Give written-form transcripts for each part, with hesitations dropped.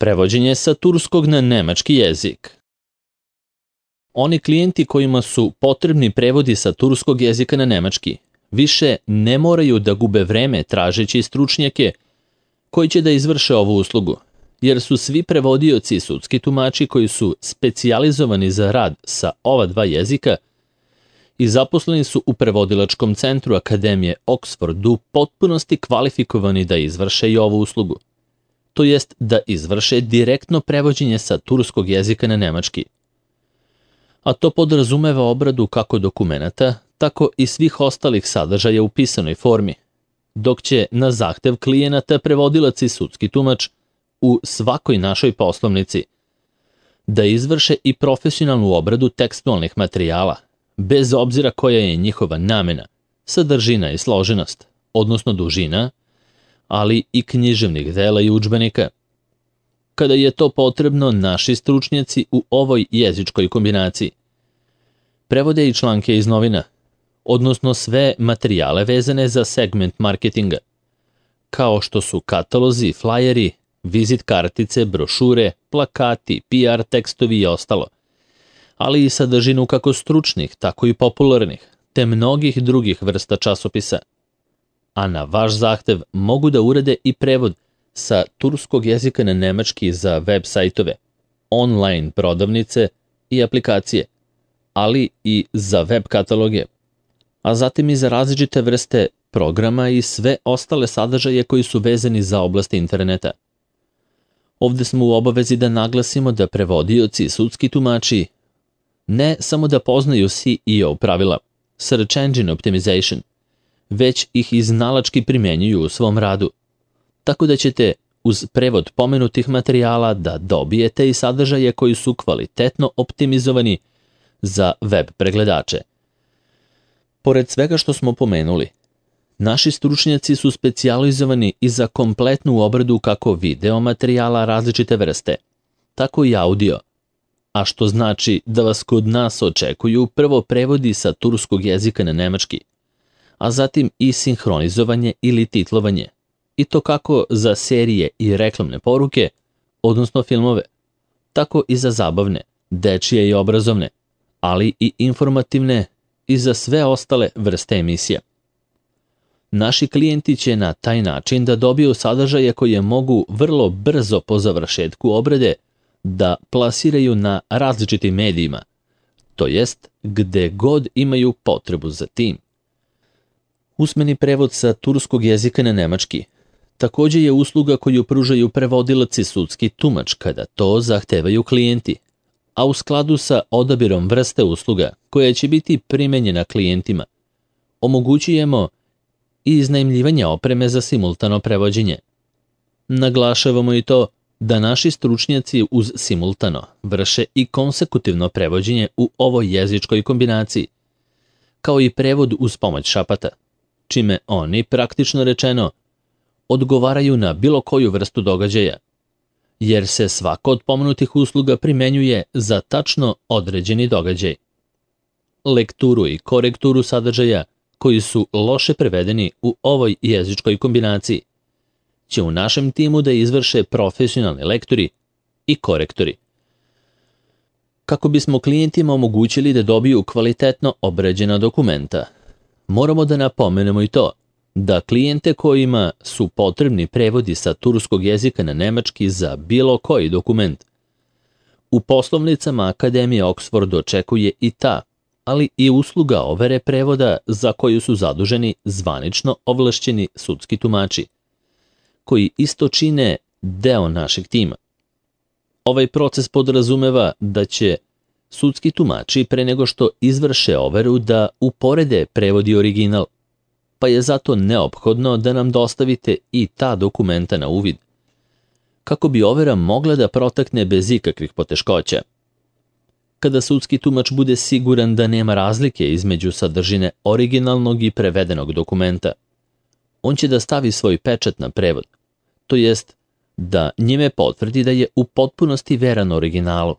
Prevođenje sa turskog na nemački jezik. Oni klijenti kojima su potrebni prevodi sa turskog jezika na nemački više ne moraju da gube vreme tražeći stručnjake koji će da izvrše ovu uslugu, jer su svi prevodioci i sudski tumači koji su specijalizovani za rad sa ova dva jezika i zaposleni su u prevodilačkom centru Akademije Oxford u potpunosti kvalifikovani da izvrše i ovu uslugu, to jest da izvrše direktno prevođenje sa turskog jezika na nemački. A to podrazumeva obradu kako dokumenata, tako i svih ostalih sadržaja u pisanoj formi, dok će na zahtev klijenata prevodilac i sudski tumač u svakoj našoj poslovnici da izvrše i profesionalnu obradu tekstualnih materijala, bez obzira koja je njihova namena, sadržina i složenost, odnosno dužina, ali i književnih dela i udžbenika. Kada je to potrebno, naši stručnjaci u ovoj jezičkoj kombinaciji prevode i članke iz novina, odnosno sve materijale vezane za segment marketinga, kao što su katalozi, flajeri, vizit kartice, brošure, plakati, PR tekstovi i ostalo, ali i sadržinu kako stručnih, tako i popularnih, te mnogih drugih vrsta časopisa. A na vaš zahtev mogu da urade i prevod sa turskog jezika na nemački za web sajtove, online prodavnice i aplikacije, ali i za web kataloge, a zatim i za različite vrste programa i sve ostale sadržaje koji su vezani za oblast interneta. Ovde smo u obavezi da naglasimo da prevodioci i sudski tumači ne samo da poznaju SEO pravila, Search Engine Optimization, već ih iznalački primenjuju u svom radu, tako da ćete uz prevod pomenutih materijala da dobijete i sadržaje koji su kvalitetno optimizovani za web pregledače. Pored svega što smo pomenuli, naši stručnjaci su specijalizovani i za kompletnu obradu kako video materijala različite vrste, tako i audio, a što znači da vas kod nas očekuju prvo prevodi sa turskog jezika na nemački, a zatim i sinhronizovanje ili titlovanje, i to kako za serije i reklamne poruke, odnosno filmove, tako i za zabavne, dečije i obrazovne, ali i informativne i za sve ostale vrste emisija. Naši klijenti će na taj način da dobiju sadržaje koje mogu vrlo brzo po završetku obrade da plasiraju na različitim medijima, to jest gde god imaju potrebu za tim. Usmeni prevod sa turskog jezika na nemački takođe je usluga koju pružaju prevodilac i sudski tumač kada to zahtevaju klijenti, a u skladu sa odabirom vrste usluga koja će biti primenjena klijentima, omogućujemo i iznajmljivanje opreme za simultano prevođenje. Naglašavamo i to da naši stručnjaci uz simultano vrše i konsekutivno prevođenje u ovoj jezičkoj kombinaciji, kao i prevod uz pomoć šapata, čime oni, praktično rečeno, odgovaraju na bilo koju vrstu događaja, jer se svaka od pomenutih usluga primenjuje za tačno određeni događaj. Lekturu i korekturu sadržaja koji su loše prevedeni u ovoj jezičkoj kombinaciji će u našem timu da izvrše profesionalni lektori i korektori. Kako bismo klijentima omogućili da dobiju kvalitetno obrađena dokumenta, moramo da napomenemo i to da klijente kojima su potrebni prevodi sa turskog jezika na nemački za bilo koji dokument, u poslovnicama Akademije Oxford očekuje i ta, ali i usluga overe prevoda za koju su zaduženi zvanično ovlašćeni sudski tumači, koji isto čine deo našeg tima. Ovaj proces podrazumeva da će sudski tumači pre nego što izvrše overu da uporede prevod i original, pa je zato neophodno da nam dostavite i ta dokumenta na uvid, kako bi overa mogla da protekne bez ikakvih poteškoća. Kada sudski tumač bude siguran da nema razlike između sadržine originalnog i prevedenog dokumenta, on će da stavi svoj pečat na prevod, to jest da njime potvrdi da je u potpunosti veran originalu,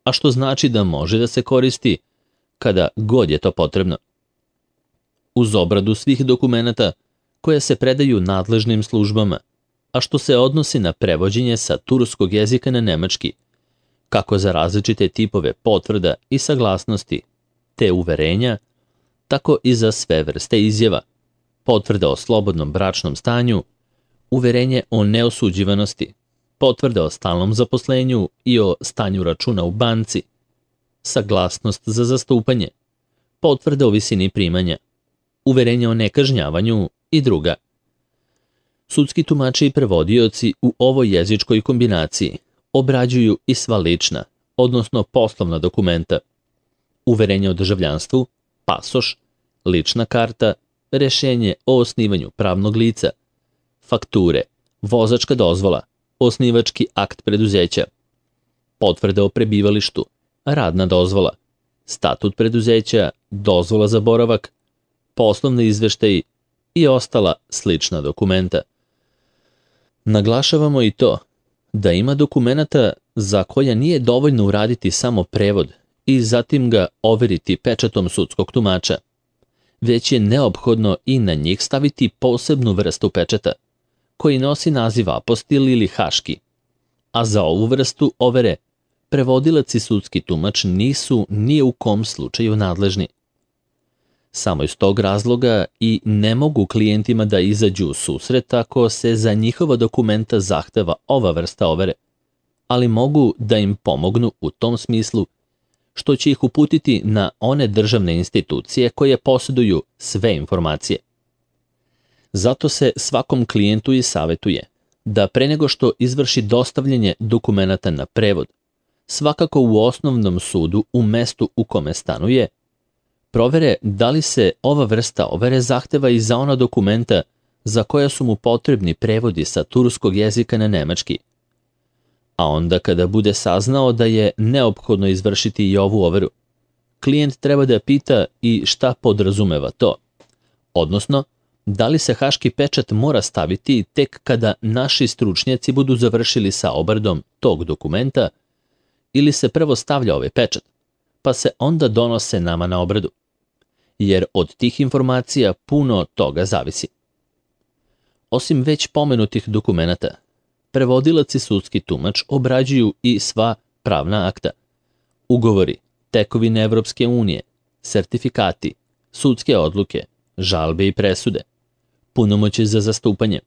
a što znači da može da se koristi kada god je to potrebno. Uz obradu svih dokumenata koje se predaju nadležnim službama, a što se odnosi na prevođenje sa turskog jezika na nemački, kako za različite tipove potvrda i saglasnosti, te uverenja, tako i za sve vrste izjava, potvrda o slobodnom bračnom stanju, uverenje o neosuđivanosti, potvrda o stalnom zaposlenju i o stanju računa u banci, saglasnost za zastupanje, potvrda o visini primanja, uverenje o nekažnjavanju i druga. Sudski tumači i prevodioci u ovoj jezičkoj kombinaciji obrađuju i sva lična, odnosno poslovna dokumenta, uverenje o državljanstvu, pasoš, lična karta, rešenje o osnivanju pravnog lica, fakture, vozačka dozvola, osnivački akt preduzeća, potvrda o prebivalištu, radna dozvola, statut preduzeća, dozvola za boravak, poslovni izveštaji i ostala slična dokumenta. Naglašavamo i to da ima dokumenata za koja nije dovoljno uraditi samo prevod i zatim ga overiti pečatom sudskog tumača, već je neophodno i na njih staviti posebnu vrstu pečata, koji nosi naziv apostil ili haški, a za ovu vrstu overe prevodilac i sudski tumač nisu ni u kom slučaju nadležni. Samo iz tog razloga i ne mogu klijentima da izađu u susret ako se za njihova dokumenta zahteva ova vrsta overe, ali mogu da im pomognu u tom smislu što će ih uputiti na one državne institucije koje posjeduju sve informacije. Zato se svakom klijentu i savjetuje da pre nego što izvrši dostavljanje dokumenata na prevod, svakako u osnovnom sudu u mestu u kome stanuje, provere da li se ova vrsta overe zahteva i za ona dokumenta za koja su mu potrebni prevodi sa turskog jezika na nemački. A onda kada bude saznao da je neophodno izvršiti i ovu overu, klijent treba da pita i šta podrazumeva to, odnosno da li se haški pečat mora staviti tek kada naši stručnjaci budu završili sa obradom tog dokumenta ili se prvo stavlja ovaj pečat, pa se onda donose nama na obradu, jer od tih informacija puno toga zavisi. Osim već pomenutih dokumenata, prevodilac i sudski tumač obrađuju i sva pravna akta, ugovori, tekovine Evropske unije, sertifikati, sudske odluke, žalbe i presude, punomoći za zastupanje,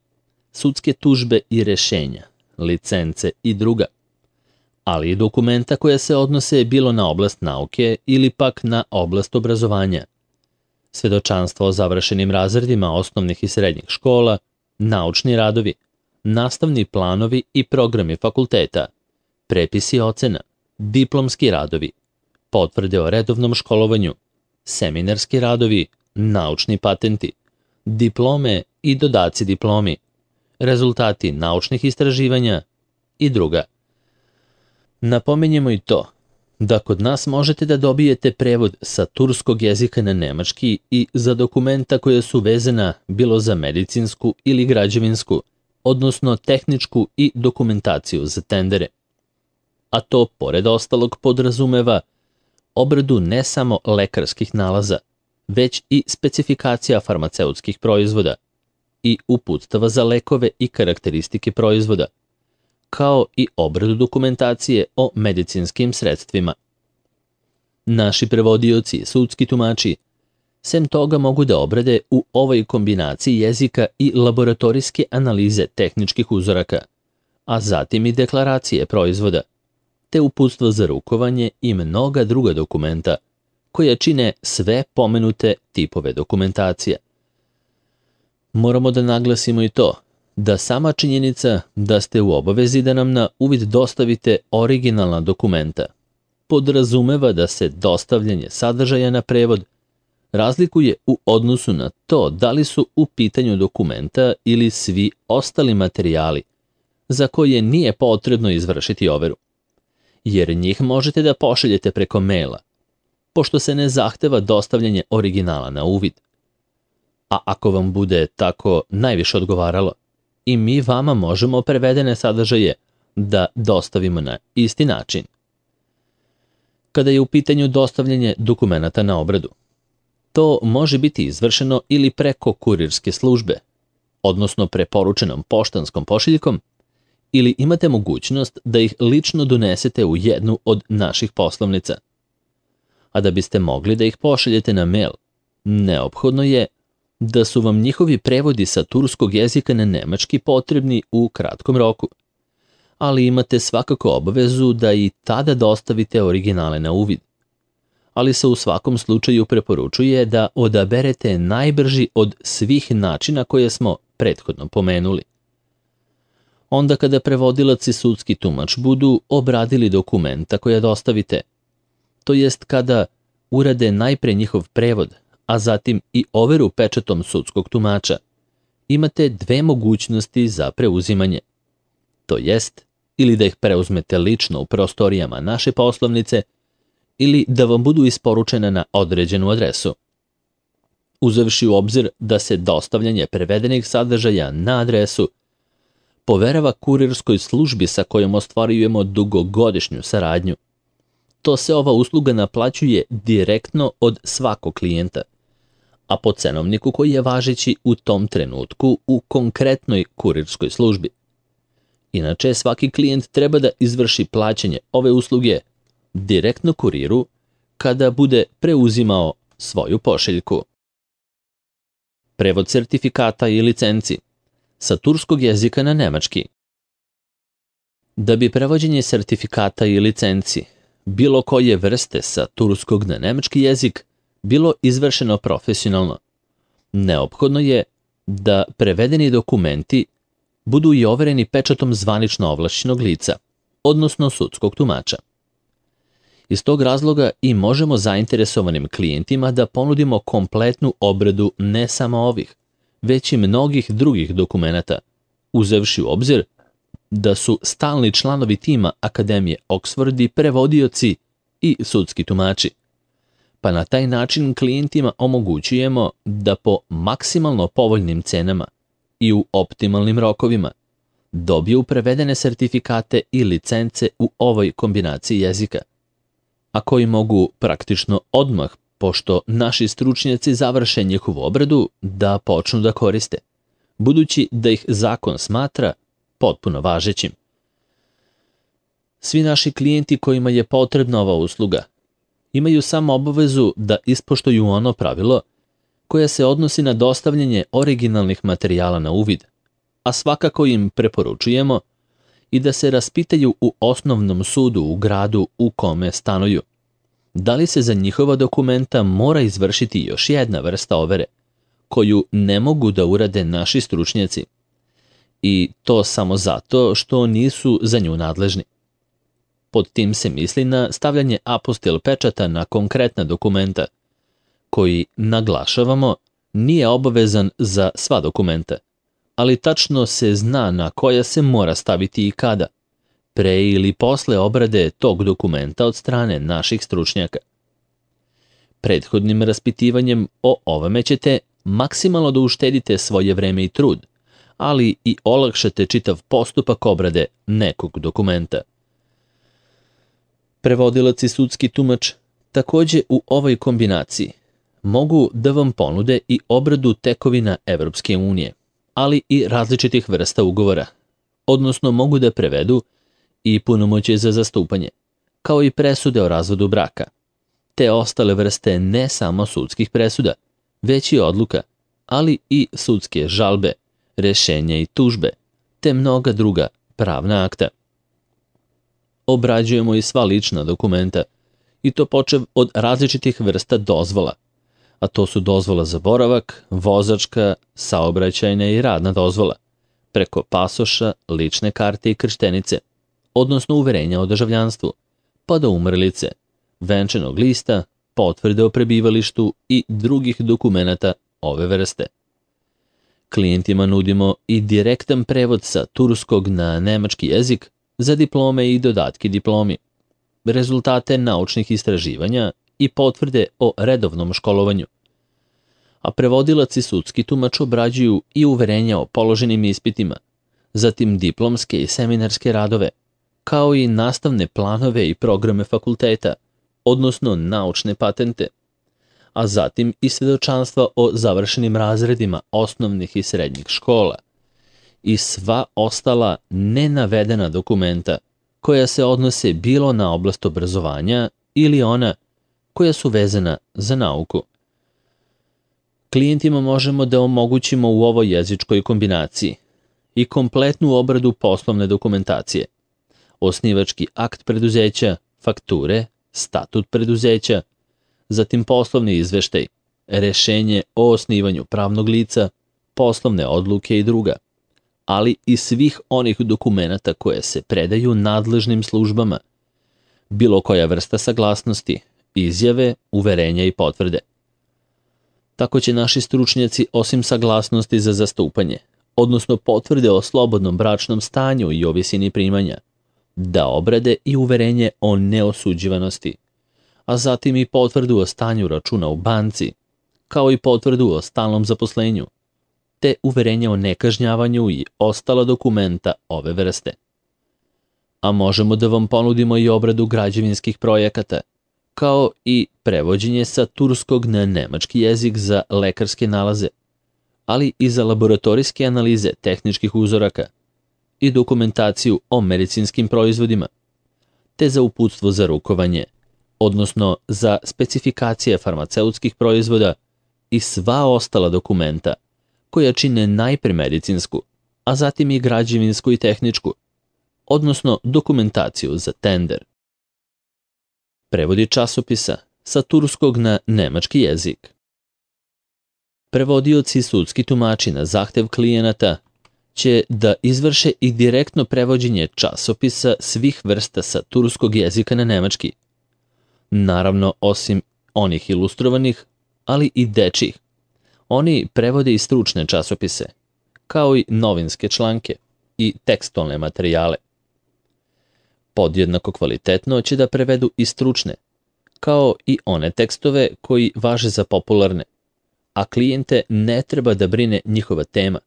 sudske tužbe i rešenja, licence i druga, ali i dokumenta koja se odnose bilo na oblast nauke ili pak na oblast obrazovanja, svedočanstva o završenim razredima osnovnih i srednjih škola, naučni radovi, nastavni planovi i programi fakulteta, prepisi ocena, diplomski radovi, potvrde o redovnom školovanju, seminarski radovi, naučni patenti, diplome i dodaci diplomi, rezultati naučnih istraživanja i druga. Napominjemo i to da kod nas možete da dobijete prevod sa turskog jezika na nemački i za dokumenta koja su vezana bilo za medicinsku ili građevinsku, odnosno tehničku i dokumentaciju za tendere. A to, pored ostalog, podrazumeva obradu ne samo lekarskih nalaza, već i specifikacija farmaceutskih proizvoda i uputstava za lekove i karakteristike proizvoda, kao i obradu dokumentacije o medicinskim sredstvima. Naši prevodioci i sudski tumači sem toga mogu da obrade u ovoj kombinaciji jezika i laboratorijske analize tehničkih uzoraka, a zatim i deklaracije proizvoda, te uputstvo za rukovanje i mnoga druga dokumenta koja čine sve pomenute tipove dokumentacije. Moramo da naglasimo i to da sama činjenica da ste u obavezi da nam na uvid dostavite originalna dokumenta podrazumeva da se dostavljanje sadržaja na prevod razlikuje u odnosu na to da li su u pitanju dokumenta ili svi ostali materijali za koje nije potrebno izvršiti overu, jer njih možete da pošaljete preko maila, pošto se ne zahteva dostavljanje originala na uvid. A ako vam bude tako najviše odgovaralo, i mi vama možemo prevedene sadržaje da dostavimo na isti način. Kada je u pitanju dostavljanje dokumenata na obradu, to može biti izvršeno ili preko kurirske službe, odnosno preporučenom poštanskom pošiljkom, ili imate mogućnost da ih lično donesete u jednu od naših poslovnica. A da biste mogli da ih pošaljete na mail, neophodno je da su vam njihovi prevodi sa turskog jezika na nemački potrebni u kratkom roku, ali imate svakako obavezu da i tada dostavite originale na uvid. Ali se u svakom slučaju preporučuje da odaberete najbrži od svih načina koje smo prethodno pomenuli. Onda kada prevodilac i sudski tumač budu obradili dokumenta koja dostavite, to jest kada urade najpre njihov prevod, a zatim i overu pečatom sudskog tumača, imate dve mogućnosti za preuzimanje. To jest, ili da ih preuzmete lično u prostorijama naše poslovnice, ili da vam budu isporučena na određenu adresu. Uzevši u obzir da se dostavljanje prevedenih sadržaja na adresu poverava kurirskoj službi sa kojom ostvarujemo dugogodišnju saradnju, to se ova usluga naplaćuje direktno od svakog klijenta, a po cenovniku koji je važeći u tom trenutku u konkretnoj kurirskoj službi. Inače, svaki klijent treba da izvrši plaćanje ove usluge direktno kuriru kada bude preuzimao svoju pošiljku. Prevod sertifikata i licenci sa turskog jezika na nemački. Da bi prevođenje sertifikata i licenci bilo koje vrste sa turskog na nemački jezik bilo izvršeno profesionalno, neophodno je da prevedeni dokumenti budu i overeni pečatom zvanično ovlašćenog lica, odnosno sudskog tumača. Iz tog razloga i možemo zainteresovanim klijentima da ponudimo kompletnu obradu ne samo ovih, već i mnogih drugih dokumenata, uzevši u obzir da su stalni članovi tima Akademije Oxford i prevodioci i sudski tumači. Pa na taj način klijentima omogućujemo da po maksimalno povoljnim cenama i u optimalnim rokovima dobiju prevedene sertifikate i licence u ovoj kombinaciji jezika, a koji mogu praktično odmah, pošto naši stručnjaci završe njihovu obradu, da počnu da koriste, budući da ih zakon smatra potpuno važećim. Svi naši klijenti kojima je potrebna ova usluga imaju samo obavezu da ispoštuju ono pravilo koje se odnosi na dostavljanje originalnih materijala na uvid, a svakako im preporučujemo i da se raspitaju u osnovnom sudu u gradu u kome stanuju. Da li se za njihova dokumenta mora izvršiti još jedna vrsta overe, koju ne mogu da urade naši stručnjaci, i to samo zato što nisu za nju nadležni. Pod tim se misli na stavljanje apostil pečata na konkretna dokumenta, koji, naglašavamo, nije obavezan za sva dokumenta, ali tačno se zna na koja se mora staviti i kada, pre ili posle obrade tog dokumenta od strane naših stručnjaka. Prethodnim raspitivanjem o ovome ćete maksimalno da uštedite svoje vreme i trud, ali i olakšate čitav postupak obrade nekog dokumenta. Prevodilac i sudski tumač takođe u ovoj kombinaciji mogu da vam ponude i obradu tekovina Evropske unije, ali i različitih vrsta ugovora, odnosno mogu da prevedu i punomoćje za zastupanje, kao i presude o razvodu braka, te ostale vrste ne samo sudskih presuda, već i odluka, ali i sudske žalbe, rešenja i tužbe, te mnoga druga pravna akta. Obrađujemo i sva lična dokumenta, i to počev od različitih vrsta dozvola, a to su dozvola za boravak, vozačka, saobraćajna i radna dozvola, preko pasoša, lične karte i krštenice, odnosno uverenja o državljanstvu, pa do umrlice, venčanog lista, potvrde o prebivalištu i drugih dokumenata ove vrste. Klijentima nudimo i direktan prevod sa turskog na nemački jezik za diplome i dodatke diplomi, rezultate naučnih istraživanja i potvrde o redovnom školovanju. A prevodilac i sudski tumač obrađuju i uverenja o položenim ispitima, zatim diplomske i seminarske radove, kao i nastavne planove i programe fakulteta, odnosno naučne patente, a zatim i svjedočanstva o završenim razredima osnovnih i srednjih škola i sva ostala nenavedena dokumenta koja se odnose bilo na oblast obrazovanja ili ona koja su vezana za nauku. Klijentima možemo da omogućimo u ovoj jezičkoj kombinaciji i kompletnu obradu poslovne dokumentacije, osnivački akt preduzeća, fakture, statut preduzeća, zatim poslovni izveštaj, rešenje o osnivanju pravnog lica, poslovne odluke i druga, ali i svih onih dokumenata koje se predaju nadležnim službama, bilo koja vrsta saglasnosti, izjave, uverenja i potvrde. Tako će naši stručnjaci osim saglasnosti za zastupanje, odnosno potvrde o slobodnom bračnom stanju i o visini primanja, da obrade i uverenje o neosuđivanosti, a zatim i potvrdu o stanju računa u banci, kao i potvrdu o stalnom zaposlenju, te uverenje o nekažnjavanju i ostala dokumenta ove vrste. A možemo da vam ponudimo i obradu građevinskih projekata, kao i prevođenje sa turskog na nemački jezik za lekarske nalaze, ali i za laboratorijske analize tehničkih uzoraka i dokumentaciju o medicinskim proizvodima, te za uputstvo za rukovanje, odnosno za specifikacije farmaceutskih proizvoda i sva ostala dokumenta koja čine najpre medicinsku, a zatim i građevinsku i tehničku, odnosno dokumentaciju za tender. Prevodi časopisa sa turskog na nemački jezik. Prevodioci i sudski tumači na zahtev klijenata će da izvrše i direktno prevođenje časopisa svih vrsta sa turskog jezika na nemački. Naravno, osim onih ilustrovanih, ali i dečjih. Oni prevode i stručne časopise, kao i novinske članke i tekstualne materijale. Podjednako kvalitetno će da prevedu i stručne, kao i one tekstove koji važe za popularne, a klijente ne treba da brine njihova tema,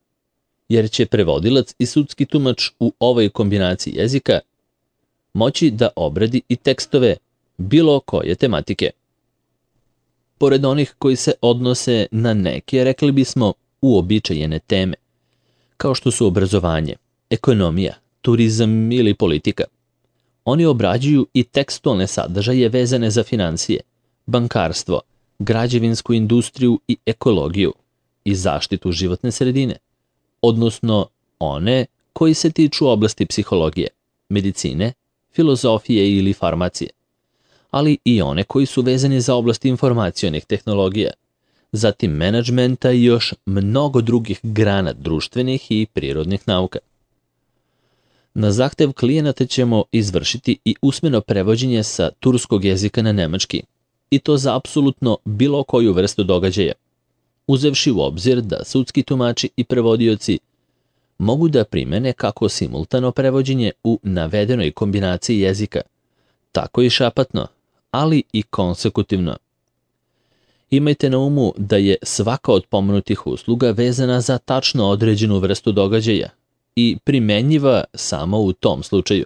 jer će prevodilac i sudski tumač u ovoj kombinaciji jezika moći da obradi i tekstove bilo koje tematike. Pored onih koji se odnose na neke, rekli bismo, uobičajene teme, kao što su obrazovanje, ekonomija, turizam ili politika, oni obrađuju i tekstualne sadržaje vezane za financije, bankarstvo, građevinsku industriju i ekologiju i zaštitu životne sredine, odnosno one koji se tiču oblasti psihologije, medicine, filozofije ili farmacije, ali i one koji su vezani za oblast informacionih tehnologija, zatim menadžmenta i još mnogo drugih grana društvenih i prirodnih nauka. Na zahtev klijenata ćemo izvršiti i usmeno prevođenje sa turskog jezika na nemački, i to za apsolutno bilo koju vrstu događaja, uzevši u obzir da sudski tumači i prevodioci mogu da primene kako simultano prevođenje u navedenoj kombinaciji jezika, tako i šapatno, ali i konsekutivno. Imajte na umu da je svaka od pomenutih usluga vezana za tačno određenu vrstu događaja i primenjiva samo u tom slučaju.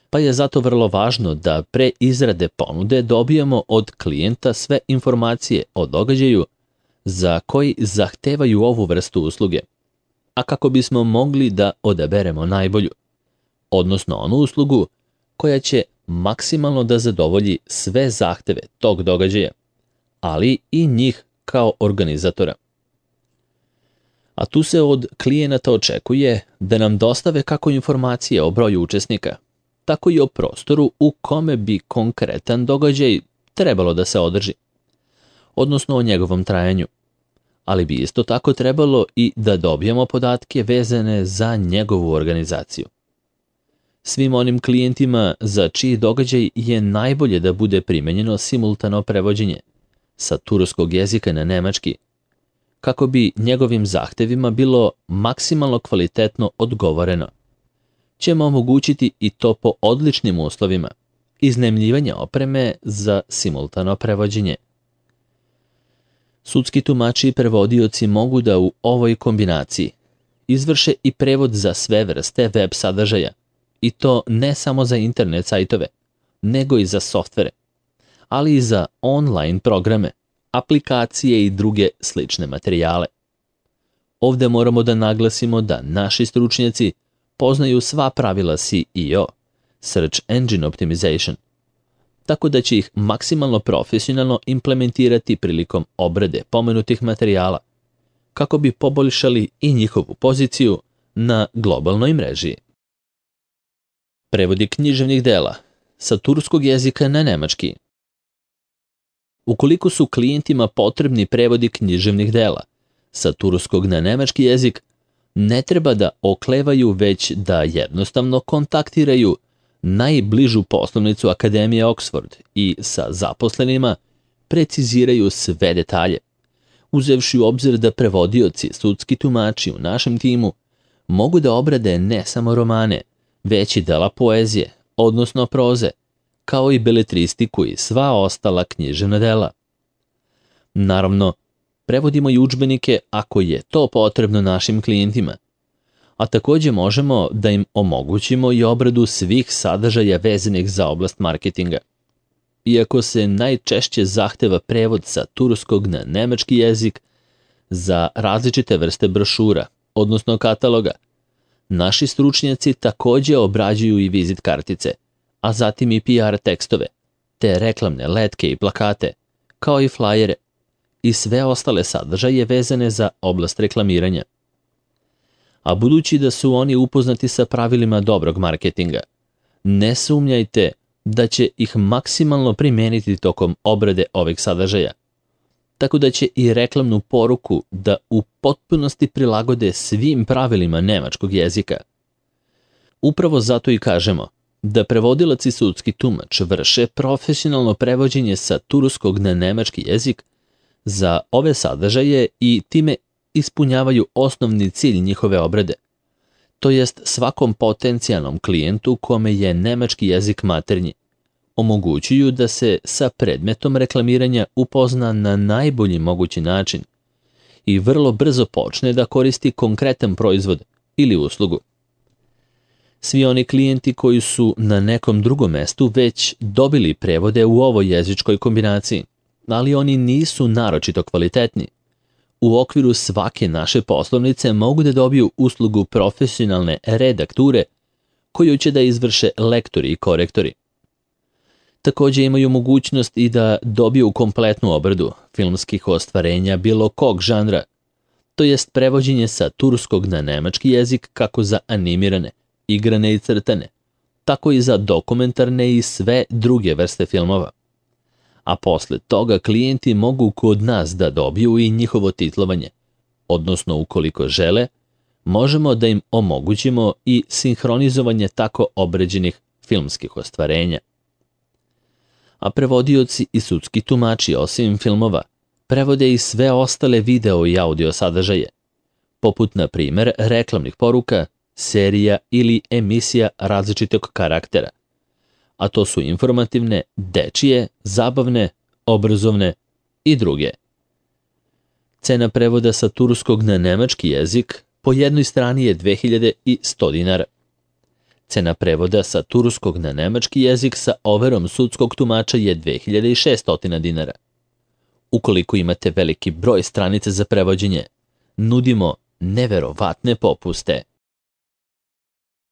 Pa je zato vrlo važno da pre izrade ponude dobijemo od klijenta sve informacije o događaju za koji zahtevaju ovu vrstu usluge, a kako bismo mogli da odaberemo najbolju, odnosno onu uslugu koja će maksimalno da zadovolji sve zahteve tog događaja, ali i njih kao organizatora. A tu se od klijenata očekuje da nam dostave kako informacije o broju učesnika, tako i o prostoru u kome bi konkretan događaj trebalo da se održi, odnosno o njegovom trajanju, ali bi isto tako trebalo i da dobijemo podatke vezane za njegovu organizaciju. Svim onim klijentima za čiji događaj je najbolje da bude primenjeno simultano prevođenje sa turskog jezika na nemački, kako bi njegovim zahtevima bilo maksimalno kvalitetno odgovoreno, ćemo omogućiti i to po odličnim uslovima, iznajmljivanje opreme za simultano prevođenje. Sudski tumači i prevodioci mogu da u ovoj kombinaciji izvrše i prevod za sve vrste web sadržaja, i to ne samo za internet sajtove, nego i za softvere, ali i za online programe, aplikacije i druge slične materijale. Ovdje moramo da naglasimo da naši stručnjaci poznaju sva pravila SEO, Search Engine Optimization, tako da će ih maksimalno profesionalno implementirati prilikom obrade pomenutih materijala, kako bi poboljšali i njihovu poziciju na globalnoj mreži. Prevodi književnih dela sa turskog jezika na nemački. Ukoliko su klijentima potrebni prevodi književnih dela sa turskog na nemački jezik, ne treba da oklevaju, već da jednostavno kontaktiraju najbližu poslovnicu Akademije Oxford i sa zaposlenima preciziraju sve detalje, uzevši u obzir da prevodioci, sudski tumači u našem timu mogu da obrade ne samo romane, već i dela poezije, odnosno proze, kao i beletristiku i sva ostala književna dela. Naravno, prevodimo i udžbenike ako je to potrebno našim klijentima, a također možemo da im omogućimo i obradu svih sadržaja vezanih za oblast marketinga. Iako se najčešće zahteva prevod sa turskog na nemački jezik za različite vrste brošura, odnosno kataloga, naši stručnjaci također obrađuju i vizit kartice, a zatim i PR tekstove, te reklamne letke i plakate, kao i flajere i sve ostale sadržaje vezane za oblast reklamiranja. A budući da su oni upoznati sa pravilima dobrog marketinga, ne sumnjajte da će ih maksimalno primijeniti tokom obrade ovih sadržaja, tako da će i reklamnu poruku da u potpunosti prilagode svim pravilima nemačkog jezika. Upravo zato i kažemo da prevodilac i sudski tumač vrše profesionalno prevođenje sa turskog na nemački jezik za ove sadržaje i time ispunjavaju osnovni cilj njihove obrade, to jest svakom potencijalnom klijentu kome je nemački jezik maternji, omogućuju da se sa predmetom reklamiranja upozna na najbolji mogući način i vrlo brzo počne da koristi konkretan proizvod ili uslugu. Svi oni klijenti koji su na nekom drugom mestu već dobili prevode u ovoj jezičkoj kombinaciji, ali oni nisu naročito kvalitetni, u okviru svake naše poslovnice mogu da dobiju uslugu profesionalne redakture koju će da izvrše lektori i korektori. Također imaju mogućnost i da dobiju kompletnu obradu filmskih ostvarenja bilo kog žanra, to jest prevođenje sa turskog na nemački jezik kako za animirane, igrane i crtane, tako i za dokumentarne i sve druge vrste filmova. A posle toga klijenti mogu kod nas da dobiju i njihovo titlovanje, odnosno ukoliko žele, možemo da im omogućimo i sinhronizovanje tako obrađenih filmskih ostvarenja. A prevodioci i sudski tumači osim filmova prevode i sve ostale video i audio sadržaje, poput na primjer reklamnih poruka, serija ili emisija različitog karaktera, a to su informativne, dečije, zabavne, obrazovne i druge. Cena prevoda sa turskog na nemački jezik po jednoj strani je 2100 dinara. Cena prevoda sa turskog na nemački jezik sa overom sudskog tumača je 2600 dinara. Ukoliko imate veliki broj stranica za prevođenje, nudimo neverovatne popuste.